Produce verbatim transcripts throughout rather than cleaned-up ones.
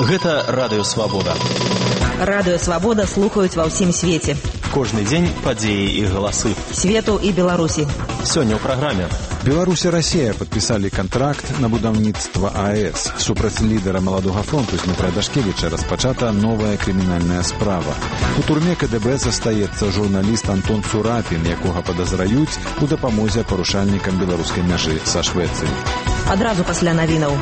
Гэта Радыё Свабода. Радыё Свабода слухаюць ва ўсім свеце. Кожны дзень падзеі і галасы. Свету і Беларусі. Сёння ў праграме. Беларусь і Расія падпісалі кантракт на будаўніцтва АЭС. Супраць лідара Маладога фронту Дмітра Дашкевіча распачата новая крымінальная справа. У турме КДБ застаецца журналіст Антон Цурапін, якога падазраюць у дапамозе парушальнікам беларускай мяжы са Швецыяй. Адразу пасля навінаў.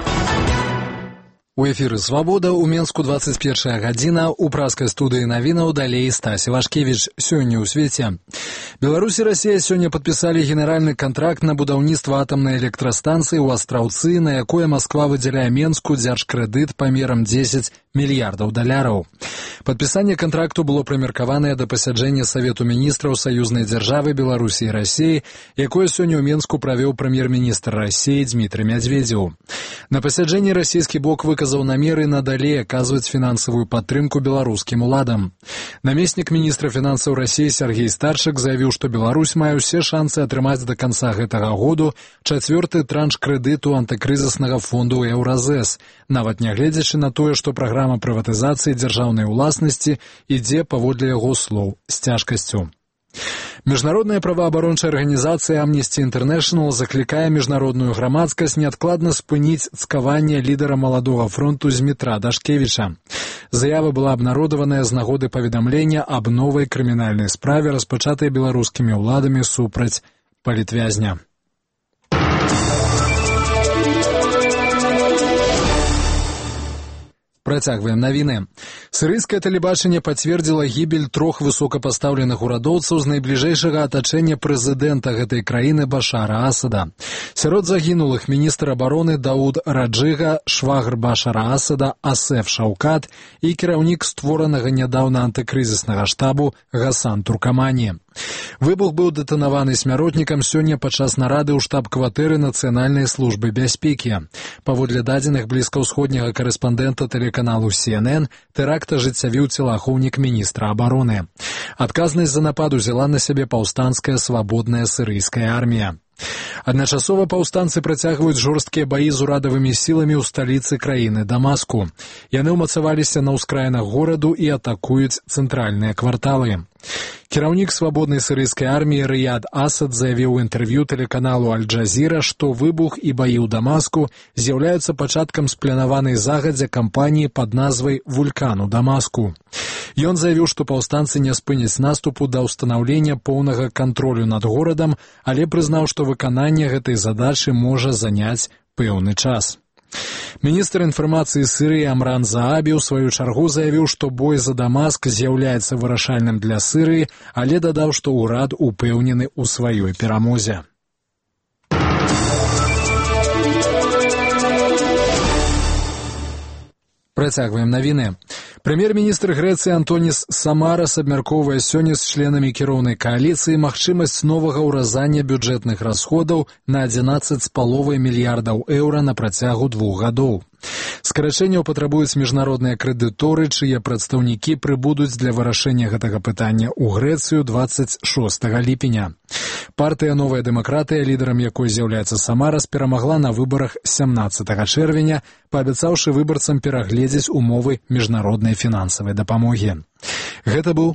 У эфіры «Свабода» у Менску двадцать первая гадзіна, у праскай студыі навінаў далей Стась Івашкевіч. Сёння ў свеце. Беларусь і Расія сёння падпісалі генеральны кантракт на будаўніцтва атамнай электрастанцыі ў Астраўцы, на якое Масква выдзяляе Менску дзяржкрэдыт памерам дзесяць мільярдаў даляраў. Падпісанне кантракту было прымеркаванае да пасяджэння Савету міністраў саюзнай дзяржавы Беларусі і Расіі, якое сёння ў Менску правёў прэм'ер-міністр Расіі Дмітрый Мядзведзеў. На пасяджэнні расійскі бок выказаў намеры надалей аказваць фінансавую падтрымку беларускім уладам. Намеснік міністра фінансаў Расіі Сергей Старчык заявіў, што Беларусь мае ўсе шансы атрымаць да канца гэтага году чацвёрты транш крэдыту антыкрызіснага фонду Еўразэс, нават нягледзячы на тое, што праграма прыватызацыі дзяржаўнай уласнасці ідзе, паводле яго слоў, з цяжкасцю. Міжнародная праваабарончая арганізацыя Amnesty International заклікае міжнародную грамадскасць неадкладна спыніць цкаванне лідара Маладога фронту Дмітра Дашкевіча. Заява была абнародаваная з нагоды паведамлення аб новай крымінальнай справе, распачатай беларускімі ўладамі супраць палітвязня. Працягваем навіны. Сірыйскае тэлебачанне пацвердзіла гібель трох высокапастаўленых урадоўцаў з найбліжэйшага атачэння прэзідэнта гэтай краіны Башара Асада. Сярод загінулых міністр абароны Дауд Раджыга, швагр Башара Асада Асеф Шаўкат і кіраўнік створанага нядаўна антыкрызіснага штабу Гасан Туркамані. Выбух быў дэтанаваны смяротнікам сёння падчас нарады ў штаб-кватэры Нацыянальнай службы бяспекі. Паводле дадзеных блізкаўсходняга карэспандэнта тэлеканалу Си Эн Эн, тэракт ажыццявіў целаахоўнік міністра абароны. Адказнасць за напад узяла на сябе паўстанцкая свабодная сірыйская армія. Адначасова паўстанцы працягваюць жорсткія баі з урадавымі сіламі ў сталіцы краіны Дамаску. Яны ўмацаваліся на ўскраінах гораду і атакуюць цэнтральныя кварталы. Кіраўнік свабоднай сірыйскай арміі Рыяд Асад заявіў у інтэрв'ю тэлеканалу Аль-Джазіра, што выбух і баі ў Дамаску з'яўляюцца пачаткам спланаванай загадзя кампаніі пад назвай «Вулкан у Дамаску». Ён заявіў, што паўстанцы не спыняць наступу да ўстанаўлення поўнага кантролю над горадам, але прызнаў, што выкананне гэтай задачы можа заняць пэўны час. Міністр інфармацыі Сірыі Амран Заабі ў сваю чаргу заявіў, што бой за Дамаск з'яўляецца вырашальным для Сірыі, але дадаў, што ўрад упэўнены ў сваёй перамозе. Працягваем навіны. Прэм'ер-міністр Грэцыі Антоніс Самарас абмяркоўвае сёння з членамі кіроўнай кааліцыі магчымасць новага ўразання бюджэтных расходаў на адзінаццаць з паловай мільярдаў еўра на працягу двух гадоў. Скарачэнняў патрабуюць міжнародныя крэдыторы, чые прадстаўнікі прыбудуць для вырашэння гэтага пытання ў Грэцыю двадцать шостага ліпеня. Партыя «Новая дэмакратыя», лідарам якой з'яўляецца Самарас, перамагла на выбарах сямнаццатага чэрвеня, паабяцаўшы выбарцам перагледзець умовы міжнароднай фінансавай дапамогі. Гэта быў